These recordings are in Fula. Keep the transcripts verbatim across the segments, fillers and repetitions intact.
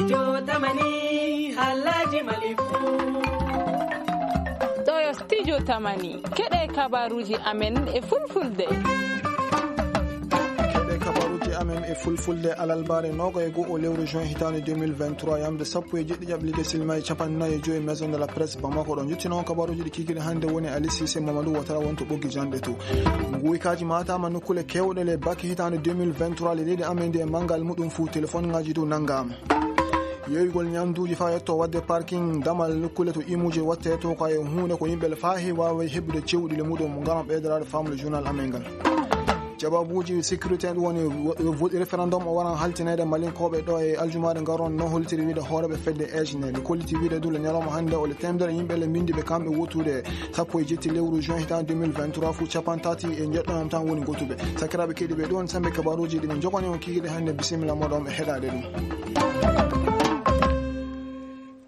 Studio Tamani, Halaji Malifu. Ɗo yo Studio Tamani. Keɗe kabaruji amen e fulfulde. Keɗe kabaruji amen e fulfulde alalbare nogo e go'o lewru juin hitande deux mille vingt-trois, yamde sappo e jeɗɗi ƴaɓɓi ligue silma e capanɗe nayi e joyi Maison de la Presse Bamako. Ɗo jottino on kabaruji ɗi kigiri hande woni Ali Cissé Mamadou Watara wonto ɓoggi janɗe to. Nguykaji matama nokkule kewɗe le bac hitande deux mille vingt-trois, le leydi amen ndi e mangal muɗum fu téléphone ngaji dow nangama. Yoygol ñamduuji faa yetto waɗde parking damal nokkule to imuuje watte to ko e huunde ko yimɓe le faa heewi waawi heɓude cewɗi le muɗum mo ngalam ɓeydoraade faamude journal amen ngal. Jawabuuji sécurité ɗum woni wo-, wo-, référendum o waran haltineede Malinkooɓe ɗo e aljumaare ngaron no holtiri wiide hooreeɓe fedde Eejine. Ɓe kolliti wiide du le ñalawma hannde o le teemedere yimɓe le mbindi ɓe kamɓe wottude sappo e jetti lewru juin hitan deux mille vingt-trois fu capanɗe tati e jeɗɗo tan woni gotuɓe. Sakiraaɓe keɗiiɓe ɗon sambe kabaruuji ɗi min jogani on kikiɗe hannde bisimilla moɗon ɓe heɗaade ɗum.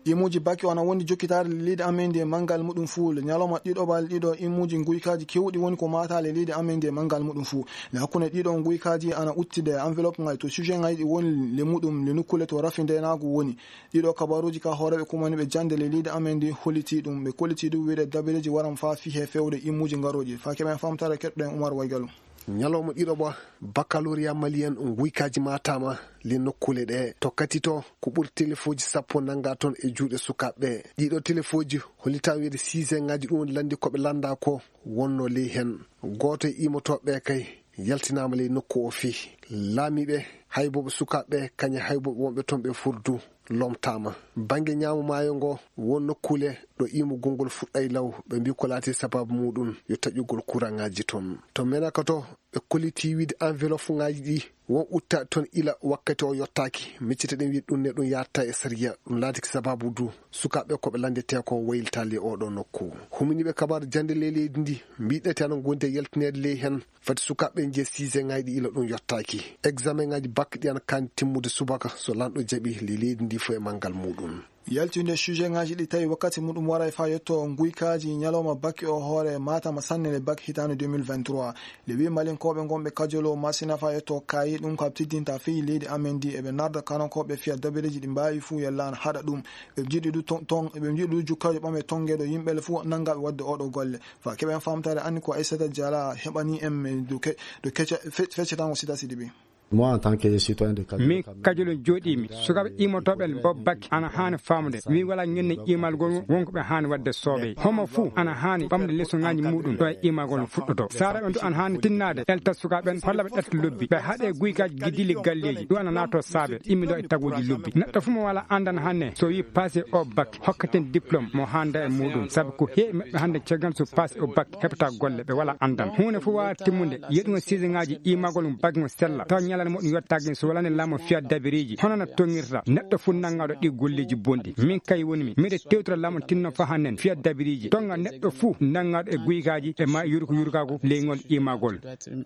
Imuuji bac o ana wondi jokkitaade leydi amen ndi e manngal muɗum fuu. Le ñalawma ɗiɗoɓal ɗiɗo imuuji nguykaaji keewɗi woni ko maataale leydi amen ndi e manngal muɗum fuu. Le hakkunde ɗiɗo nguykaaji ana uttide enveloppe ngal to sujet ngal ɗi woni le muɗum le nukkule to rafi ndenaagu woni. Ɗiɗo kabaruuji ka hooreeɓe kumaniiɓe jannde le leydi amen ndi holliti ɗum. Ɓe kolliti ɗum wiide dabireeji waran faa fii he feewde imuuji ngarooji. Faa keɓen famtare keɗɗen Umar Waygalo. Ñalawma ɗiɗoɓa, baccalauréat malien nguykaaji maataama le nokkuule ɗe. To kati to, ko ɓuri telefoji sappo nannga toon e juuɗe sukaaɓe ɓe. Ɗiɗo telefoji hollitaa wiide siisengaaji ɗum woni lanndi ko ɓe lannda ko wonno ley heen. Gooto e iimotooɓe ɓe kay yaltinaama ley nokku o fii. Laamiiɓe, haybooɓe sukaaɓe ɓe, kañum e haybooɓe wonɓe toon ɓe furdu lomtaama. Bannge ñaamo maayo ngo, won nokkuule ɗo iimugol ngol fuɗɗay law, ɓe mbii ko laati sabaabu muuɗum yo taƴugol kuraŋaaji toon. To Menaka to, ɓe kolliti wiide enveloppe ŋaaji ɗi won uttaaɗi toon ila wakkati o yottaaki. Miccite ɗen wiide ɗum ne ɗum yaatta e sariya, ɗum laatiki sabaabu du sukaaɓe ko ɓe lanndetee ko waylitaali e oɗo nokku. Huminiiɓe kabaaru jannde ley leydi ndi mbiɗete ana ngondi e yaltineede ley heen. Fati sukaaɓe ɓe njiya siisengaaji ɗi ila ɗum yottaaki. Examenŋaaji bac ɗi ana kaani timmude subaka so lanɗo jaɓi le leydi ndi fof e manngal muuɗum. Yaltinde sujetŋaaji ɗi tawi wakkati muɗum waray faa yetto nguykaaji ñalawma bac o hoore Matam sanne le bac hitaande deux mille vingt-trois. Le wi Malinkooɓe ngonɓe Kajolo Masina faa yetto kaayi ɗum ka tiddinta fii leydi amen ndi eɓe narda kanankooɓe fiya dabireeji ɗi mbaawi fuu yalla ana haɗa ɗum. Ɓe njiɗi du ton, ton, ɓe njiɗi du jukkaajo ɓame tongeeɗo yimɓe le fuu nanngaaɓe waɗde oɗo golle. Fa keɓen famtaare anni ko Aissata Diallo heɓani en men du ke-, du kecca-, fe-, feccatango Sita Sidibe. Moi, en tant que citoyen de Kajolo, min Kajolo jooɗiimi, sukaaɓe iimotooɓe en Bob Baki ana haani faamude. Min wala ñenne iimal ngol wonko ɓe haani waɗde soobee. Homo fuu ana haani ɓamde lesoŋaaji muuɗum ɗo e iimal ngol fuɗɗoto. Saara ɓe du ana haani tinnaade, elta sukaaɓe en, holla ɓe ɗatta lobbi. Ɓe haɗe guykaaji giddiili galleeji, ɗum ana naato saabe, immido e taguuji lobbi. Neɗɗo fuu mo wala anndan hannde, so wi passe o bac, hokkaten diplôme mo hannda e muuɗum. Sabu ko heewi maɓɓe hannde caggal so passe o bac heɓata golle, ɓe wala anndan. Huunde fof waawa timmude, yeɗugo siseŋaaji iimagol mo bac mo sella. Tawa ñalande mo ɗum yottaaki so walani laamu fiya dabiriiji. Hono no toŋirta neɗɗo fof nanngaɗo ɗi golleeji bonɗi. Min kay wonmi, miɗo tewtira laamu tinno fa hannen fiya dabiriiji. Toŋga neɗɗo fof nanngaɗo e guykaaji e ma yurko yurkaagu leyngol iimagol.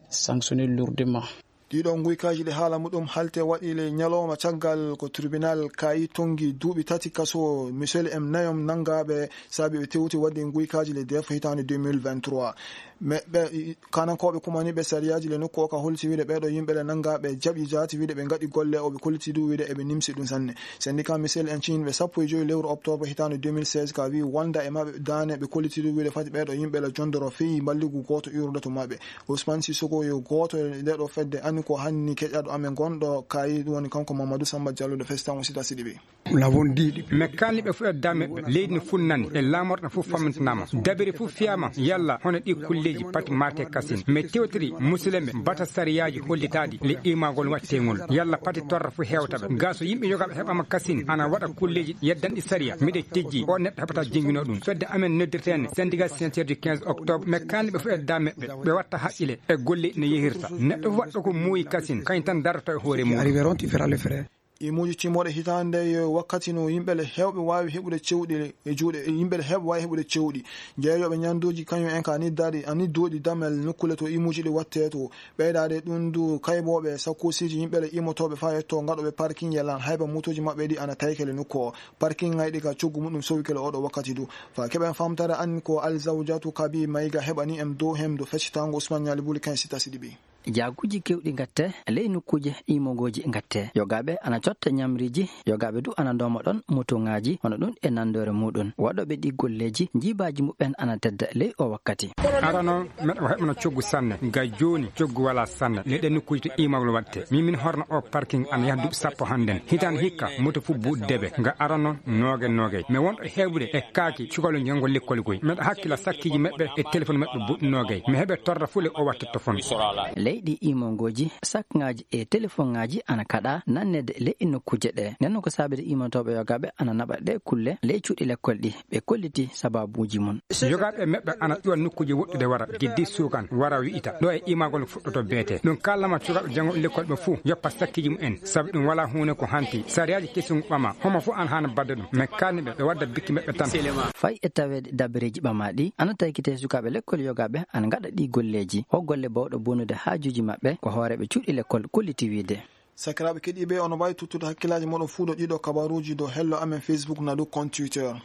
Sanctionné lourdement. Ɗiɗo nguykaaji ɗi haala muɗum halte waɗi le ñalawma caggal ko tribunal kaayi tongi duuɓi tati kaso, misel em nayom nanngaaɓe saabi ɓe tewti waɗde nguykaaji le def hitaande deux mille vingt-trois. Mais ɓe, kanankooɓe kumaniiɓe sariyaaji le nokku o ka holti wiide ɓeeɗo yimɓe le nanngaaɓe jaɓi jaati wiide ɓe ngaɗi golle o ɓe kolliti du wiide eɓe nimsi ɗum sanne. Syndicat misel en ciinɓe sappo e joyi lewru octobre hitaande deux mille seize ka wi wonda e maɓɓe daane ɓe kolliti du wiide fati ɓeeɗo yimɓe le jondoro feyi mballigu gooto iwrude to maɓɓe. Ousmane Sissoko yo gooto e ndeɗo fedde anni ko hanni keƴaɗo amen gonɗo kaayi, ɗum woni kanko Mamadou Samba Diallo ɗo Festan o Sita Sidibe. Nous l'avons dit depuis. Mais kaalni ɓe fof e dame ɓe, leydi no funnani, e laamorɗo fof fammintanama. Dabiri fof fiyama, yalla hono ɗi kulleji pati mate kasin. Mais tewtiri musidɓe bata sariyaji hollitaɗi le imagol wattengol. Yalla pati torra fof hewtaɓe. Ga so yimɓe yogaɓe heɓama kasin, ana waɗa kulleji yeddanɗi sariya. Miɗe tejji, o neɗɗo heɓata jingino ɗum. Fedde amen noddirtene syndicat signataire du quinze octobre, mais kaalni ɓe fof e dame ɓe, ɓe watta haqqile e golle no yehirta. Neɗɗo fof waɗɗo ko muuyi kasin, kañum tan darata e hoore mum. Arriveront, tu feras le frère. Imuuji timmoɗe hitaande yo wakkati no yimɓe le heewɓe waawi heɓude cewɗi e juuɗe, yimɓe le heewɓe waawi heɓude cewɗi. Jeeyooɓe ñanduuji kañum en ka niddaɗi, a nidduɗi damel nokkule to imuuji ɗi watte to. Ɓeydaade ɗum du kaybooɓe sakkusiiji yimɓe le imotooɓe faa yetto ngaɗooɓe parking yelan hayba motooji maɓɓe ɗi ana taykele nokku o. Parking ngayɗi ka coggu muɗum sowikele oɗo wakkati du. Faa keɓen famtare an ko Alzawjatu Kabi Mayga heɓani en dow hem do feccitango Ousmane Ñaali Buli ken sita siɗi ɓi. Jaaguuji keewɗi ngatte ley nokkuuje iimogooji ngatte. Yogaaɓe ana cotta ñamriiji, yogaaɓe du ana ndooma ɗon motoŋaaji, hono ɗun e nanndoore muuɗun. Waɗooɓe ɗii golleeji, jiibaaji muɓɓen ana tedda ley oo wakkati. Arano, meɗa heɓana coggu sanne. Ga jooni, coggu walaa sanne. Ley ɗen nokkuuje to iimagol waɗte. Min, min horna oo parking ana yaha duuɓi sappo hannden. Hitaande hikka, moto fof buuɗi debe. Nga arano, noogay, noogay. Mi wonɗo heɓude e kaaki cukalel janngo lekkol koy. Meɗa hakkila sakkiiji maɓɓe e telefon maɓɓe buuɗi noogay. Mi heɓe torra fof ley oo waɗte to fon. Ley ɗii iimongooji, sakŋaaji e telefoŋaaji ana kaɗa nanneede ley nokkuuje ɗee. Nden non ko saabide iimotooɓe yogaaɓe ana naɓa ɗee kulle ley cuuɗi lekkol ɗii. Ɓe kolliti sabaabuuji mun. Yogaaɓe maɓɓe ana ƴuwa nokkuuje woɗɗude wara, geddi suukan, wara wi'ita, ɗo e iimagol fuɗɗoto beete. Ɗun kaalnama cukalɓe janngo lekkol ɓe fof yoppa sakkiiji mumen, sabu ɗun walaa huunde ko hanti. Sariyaaji kesun ɓama, homo fof ana haani baɗde ɗun. Men kaalni ɓe, ɓe wadda bikki maɓɓe tan. Fay e taweede dabareeji ɓamaaɗi, ana taykitee sukaaɓe lekkol yogaaɓe ana ngaɗa ɗii golleeji. Ko golle bawɗo bonude haajuuji maɓɓe, ko hooreeɓe cuuɗi lekkol kolliti wi'ude. Sakiraaɓe keɗiiɓe, ono waawi tottude hakkillaaji mooɗon fuu dow ɗiiɗoo kabaaruuji dow hello amen Facebook naa dow compte Twitter.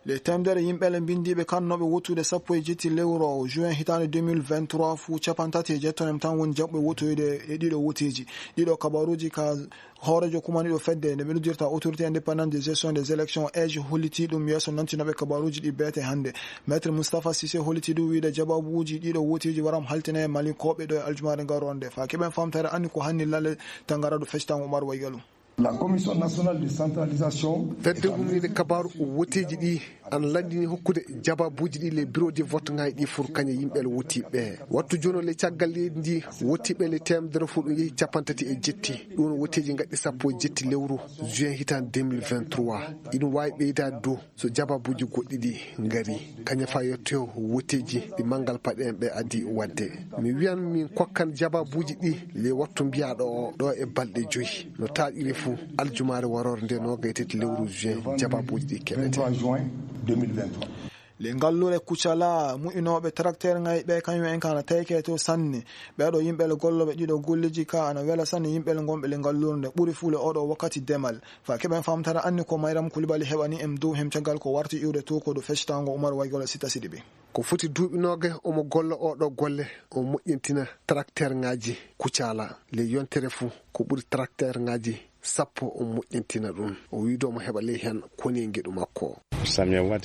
Le teemedere yimɓe le mbinndiiɓe kannooɓe wottude sappo e jetti lewru juin hitaande deux mille vingt-trois fuu cappanɗe tati e jeetto en tan woni jaɓɓe wottoyde e ɗiiɗoo woteeji. Ɗiiɗoo kabaaruuji ka hooreejo kumaniiɗo fedde nde ɓe noddirta Autorité Indépendante de Gestion des Élections, age, hollitii ɗum yeeso nantinooɓe kabaaruuji ɗi beete hannde. Maître Moustapha Cissé hollitii du wiide jaɓɓuuji ɗiiɗoo woteeji waram haltine e Malinkooɓe ɗo e aljumaare ngaroore nde. Faa keɓen faamtere anni ko hanni lalle tangaraɗo feccitango Umar Waygalu. La Commission nationale de centralisation. Fedde humniinde kabaaru woteeji ɗi ana lanndini hokkude jaɓɓuuji ɗi le bureau de vote ŋaaji ɗi fur kañe yimɓe le wotiiɓe. Wattu jooni le caggal leydi ndi wotiiɓe le teemedere fof ɗum yehi cappanɗe tati e jetti. Ɗum woteeji ngaɗɗi sappo e jetti lewru juin hitaande deux mille vingt-trois. Ina waawi ɓeydaade dow so jaɓɓuuji goɗɗi ɗi ngari. Kañe faa yettoyo woteeji ɗi manngal paɗe en ɓe adii waɗde. Mi wiyan min kokkan jaɓɓuuji ɗi le wattu mbiyaaɗo o ɗo e balɗe joyi. No taaƴiri fuu, aljumaare waroore nde noogay tati lewru juin, jaɓɓuuji ɗi keɓete. Le ngalluure Kucala, mu'inooɓe tracteur ŋaaji ɓe, kañum en ka ana tayke to sanne. Ɓee ɗoo yimɓe le gollooɓe ɗiiɗoo golleeji ka ana wela sanne yimɓe le ngonɓe le ngalluure nde ɓuri fuu le oo ɗoo wakkati demal. Faa keɓen faamtare anni ko Mayram Kulibali heɓani en dow hem caggal ko warti iwde to ko ɗo feccitango Umar Waygol Sita Sidibe. Ko foti duuɓi noogay omo golla oo ɗoo golle, o moƴƴintina tracteur ŋaaji Kucala. Le yontere fuu ko ɓuri tracteur ŋaaji sappo o moƴƴintina ɗum. O wiide omo heɓa ley heen koni e ngeɗu makko.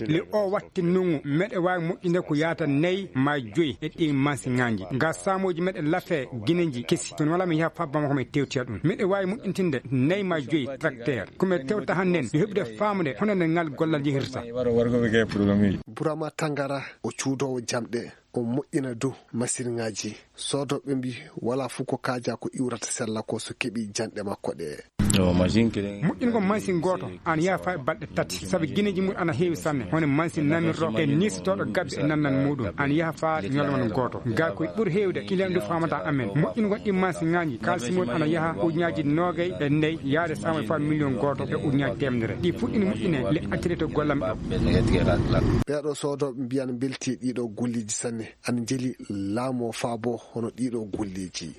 Le o watti nungu, meɗe waawi moƴƴinde ko yaata nayi ma joyi e ɗi mansiŋaaji. Ga saamooji meɗe lafe gineji kesi. Kono wala mi yaha faa Bamako mi tewtiya ɗum. Meɗe waawi moƴƴintinde nayi ma joyi tracteur. Ko mi tewta hannden, yo heɓude faamude hono nde ngal gollal yehirta. Burama Tangara, o cuudoowo jamɗe. O moƴƴina dow masiŋaaji. Soodooɓe mbii, walaa fof ko kaaja ko iwrata sella ko so keɓii janɗe makko ɗe. Moƴƴingol masiŋ gooto ana yaha faa e balɗe tati, sabu gineeji mum ana heewi sanne, hono masiŋ namirɗo e niisotooɗo gabbe e nannan muuɗum, ana yaha faa ñalawma gooto. Gaa ko ɓuri heewde, kileen ndu faamata amen. Moƴƴingol ɗi masiŋaaji, kaalisi mum ana yaha ujunnaaji noogay e nayi, yaade saama faa miliyoŋ gooto e ujunnaaji teemedere. Ɗi fuɗɗini moƴƴine le accirete gollam ɗo. Ɓeeɗo soodooɓe mbiyan mbelti e ɗiiɗoo golleeji sanne. Ana njeli laamu o faabo hono ɗiiɗoo golleeji.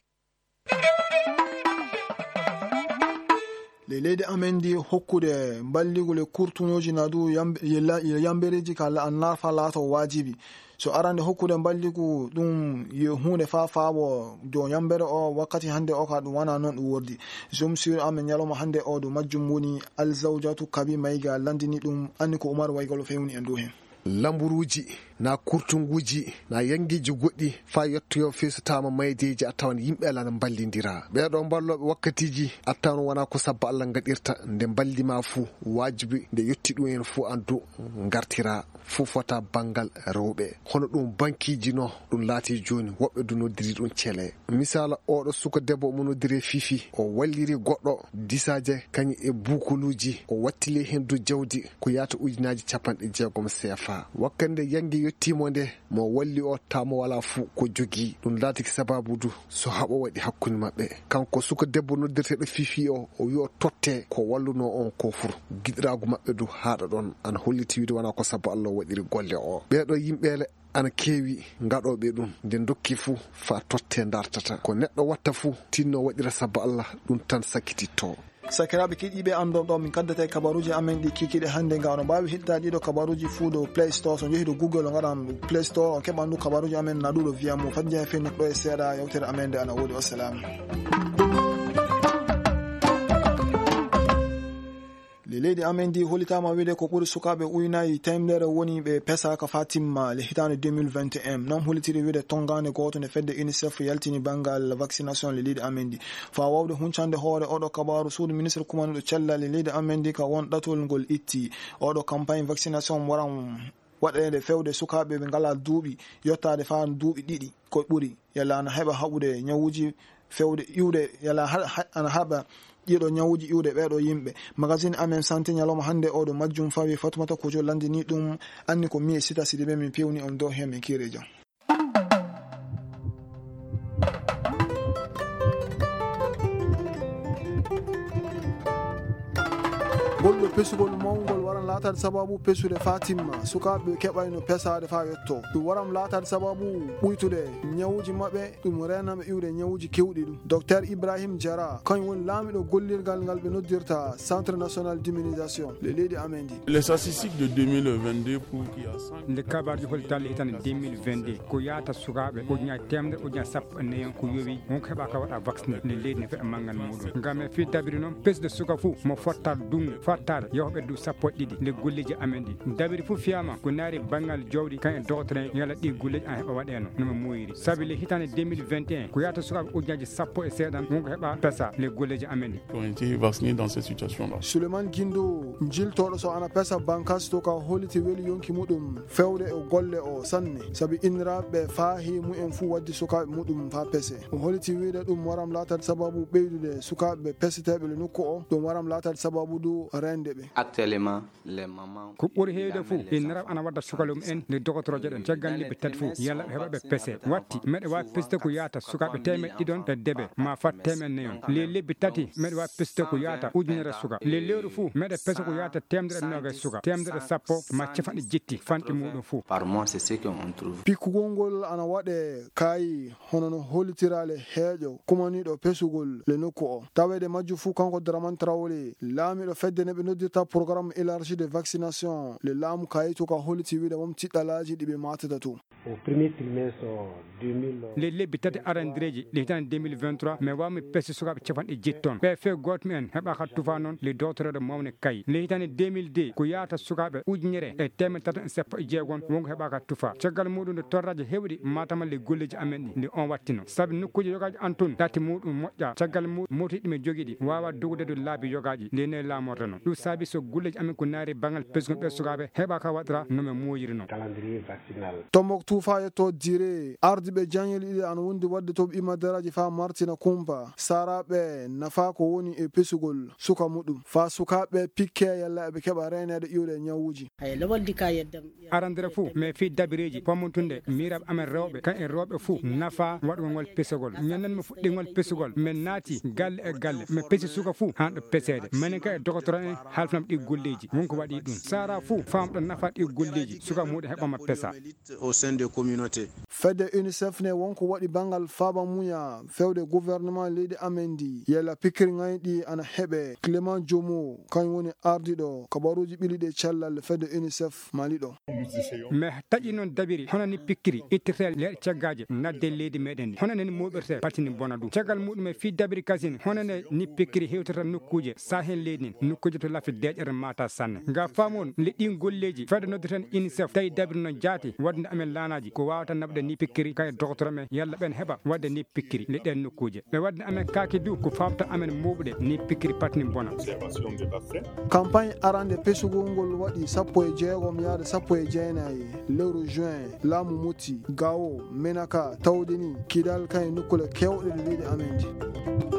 Ley leydi amen ndi hokkude mballigu le kurtuŋooji na du yamb-, ye la-, ye yambereeji ka la-, narfa laato waajibi. So arande hokkude mballigu ɗum ye huunde faa faabo jo yambere o wakkati hannde o ka ɗum wana noon ɗum wordi. Jom sur amen ñalawma hannde o ɗum majjum woni Alzawjatu Kabi Mayga landini ɗum anni ko Umar Waygol fewni en dow heen. Lamburuuji, na kurtunguuji, na yanngeeji goɗɗi, faa yettoyoo feesotaama maydeeji, a tawan yimɓe alaa no mballindira. Ɓeeɗoo mballooɓe wakkatiiji, a tawan wonaa ko sabba Alla ngaɗirta, nde mballi ma fuu, waajibi nde yotti ɗum en fuu anndu ngartira, fuu fota banngal rewɓe. Hono ɗum bankiiji no, ɗum laati jooni, woɓɓe du noddiri ɗum cele. Misaala, oɗo suka debbo omo noddiri Fifi, o walliri goɗɗo disaaje kañum e buukuluuji, o wattili heen du jawdi ko yaata ujunnaaji capanɗe jeegom C F A. Wakkati nde yannge yottiimo nde, mo walli o taamo walaa fuu ko jogii. Ɗum laatiki sabaabu du so haɓo waɗi hakkunde maɓɓe. Kanko suka debbo noddirteeɗo Fifi o, o wi o totte ko wallunoo on ko fur. Giɗiraagu maɓɓe du haaɗa ɗon, ana holliti wiide wonaa ko sabu Alla o waɗiri golle o. Ɓeeɗo yimɓe le ana keewi ngaɗooɓe ɗum, nde ndokki fuu faa totte ndartata. Ko neɗɗo watta fuu, tinno waɗira sabu Alla, ɗum tan sakkititto. Sakiraaɓe keɗiiɓe, anndon ɗo min kaddata e kabaruuji amen ɗi kikiɗe hannde. Nga oɗon mbaawi heɗitaade ɗiɗo kabaruuji fuu dow Play Store. So on njehi dow Google, on ngaɗan Play Store, on keɓan ɗum kabaruuji amen na ɗuuɗo via mo. Faddi en fennude ɗo e seeɗa, yewtere amen nde ana woodi. Wassalaamu. Le leydi amen ndi hollitaama wiide ko ɓuri sukaaɓe ujunnaaji teemedere woni ɓe pesaaka faa timma le hitaande deux mille vingt et un. Noon hollitiri wiide tonngaande gooto nde fedde UNICEF yaltini banngal vaccination le leydi amen ndi. Faa waawde huncande hoore oɗo kabaaru, suudu ministre kumaniiɗo cellal e leydi amen ndi ka won ɗatol ngol itti. Oɗo campagne vaccination waran waɗeede fewde sukaaɓe ɓe ngalaa duuɓi, yottaade faa duuɓi ɗiɗi ko ɓuri. Yalla ana heɓa haɓude ñawuuji fewde iwde, yalla ha-, ha-, ana haɓa ɗiɗo ñawuuji iwde ɓeeɗo yimɓe. Magazine Amen Santé ñalawma hannde oɗo majjum fawi Fatoumata Kojo lanndini ɗum, anni ko mi e Sita Sidibe min pewni on dow heen, min kiire jam. Ngol ɗo pesugol mawngol waran laataade sababu pesude faa timma, sukaaɓe keɓayno pesaade faa yetto. Ɗum waran laataade sababu ɓuytude ñawuuji maɓɓe, ɗum reenaɓe iwde ñawuuji keewɗi ɗum. Docteur Ibrahim Diarra, kañum woni laamiɗo gollirgal ngal ɓe noddirta Centre National d'Immunisation, le leydi amen ndi. Les statistiques de deux mille vingt-deux pour qu'il y a cent... Nde kabaruuji hollitaali hitaande deux mille vingt-deux, ko yaata sukaaɓe ujunaaji teemedere, ujunaaji sappo e nayi on ko yowi, won ko heɓaaka waɗa vacciné le leydi ne feɗa manngal muuɗum. Ngam e fii dabiri noon, pesde suka fuu mo fottaade duŋ, fottaade yahoɓe du sappo e ɗiɗi le golleeji amen ɗi. Dabiri fuu fiyaama ko naari banngal jawdi, kan e dogotoren yalla ɗi golleeji an heɓa waɗeeno no mo muuyiri. Sabi le hitaande deux mille vingt et un, ko yaata sukaaɓe ujunaaji sappo e seeɗan won ko heɓa pesa le golleeji amen ɗi. Ont été vaccinés dans cette situation-là. Souleymane Guindo, jiltooɗo so ana pesa bankas to ka holliti weli yonki muɗum fewde e golle o sanne, sabi inniraaɓe faa heewi mumen fuu waddi sukaaɓe muɗum faa pese. O holliti wiide ɗum waram laataade sababu ɓeydude sukaaɓe peseteeɓe le nokku o, ɗum waram laataade sababu du reende ɓe. Actuellement, les mamans... Ko ɓuri heewde fuu, inniraaɓe ana wadda sukaaɓe mumen le dogotorooje ɗen caggal lebbi tati fuu, yalla ɓe heɓa ɓe pese. Watti, meɗe waawi pesde ko yaata sukaaɓe teemeɗɗe ɗiɗon e debe, ma fat teemeɗɗe nayon. Le lebbi tati, meɗe waawi pesde ko yaata ujunere suka. Le lewru fuu, meɗe pesa ko yaata teemedere e noogay suka, teemedere e sappo, ma capanɗe jetti, fanɗi muuɗum fuu. Par mois, c'est ce qu'on trouve. Pikkugol ngol ana waɗe kaayi, hono no hollitiraale heeƴo kumaniiɗo pesugol le nokku o. Taweede majju fuu, kanko Dramane Traoré, laamiiɗo fedde ne ɓe noddirta programme élargi de vaccination, le laamu kaayi to ka holliti wiide won tiɗɗalaaji ɗi ɓe maatata to. Au premier trimestre deux mille. Le lebbi tati arandireeji le hitaande deux mille vingt-trois, mi waawmi pesi sukaaɓe capanɗe jetti ton. Ɓe fee gooto mumen heɓaaka tufa noon le dogotorooɗo mawne kay. Le hitaande deux mille deux, ko yaata sukaaɓe ujunere e teemedde tati e sappo e jeegom won ko heɓaaka tufa. Caggal muuɗum nde torraaji heewɗi maatama le golleeji amen ɗi, nde on wattino. Sabi nokkuuji yogaaji an tun, ɗati muuɗum moƴƴa. Caggal muuɗum mootiiɗi ɗi men jogii ɗi waawa dogude dow laabi yogaaji, nde ne laamorta non. Ɗum saabi so golleeji amen ko naari banngal pesgol ɓe sukaaɓe heɓaaka waɗra no men muuyiri non. Calendrier vaccinal. Tombouctou faa yetto Djiré, ardiiɓe jaŋeele ɗiɗi ana wondi waɗde to ɓe imadaraaji faa martina kumpa saaraaɓe nafaa ko woni e pesugol suka muɗum. Faa sukaaɓe pikkee yalla eɓe keɓa reeneede iwde e ñawuuji. Hay lobol di ka yeddam. Arandere fuu, mais fii dabireeji pommontunde miiraaɓe amen rewɓe, kan e rewɓe fuu nafaa waɗugol ngol pesugol. Ñanden mo fuɗɗingol pesugol, men naati galle e galle, men pesi suka fuu haa ɗo peseede. Menen kan e dogotoro en halfinam ɗi golleeji, won ko waɗi ɗum. Saara fuu faamɗo nafa ɗi golleeji, suka muuɗum heɓama pesa. Au sein des communautés. Fedde UNICEF ne won ko waɗi banngal faaba muya fewde gouvernement leydi amen ndi. Yalla pikkiri ŋayɗi ana heɓe. Clément Jomo, kañum woni ardiiɗo kabaruuji ɓili ɗi e cellal fedde UNICEF Mali ɗo. Mais taƴi noon dabiri, hono ni pikkiri ittirtee leɗɗe caggaaje nadde leydi meɗen ndi. Hono nen mooɓirtee patini bona ɗum. Caggal muɗum e fii dabiri kasin, hono ne ni pikkiri hewtirta nokkuuje saahen leydi ndin, nokkuuje to lafi deeƴere maata sanne. Nga faamon le ɗin golleeji, fedde noddirten UNICEF, tawi dabiri noon jaati, waɗde amen laanaaji, ko waawata naɓde ni pikkiri kay doktoro men, yalla ɓen heɓa waɗde ni pikkiri le ɗen nokkuuje. Ɓe waɗde amen kaaki du, ko faabta amen mooɓude ni pikkiri patini bona. Campagne arande pesugol ngol waɗi sappo e jeegom yaade sappo e jeenayi lewru juin, laamu Moti, Gao, Menaka, tawde ni Kidal kan e nokkule keewɗe ɗe leydi amen ndi.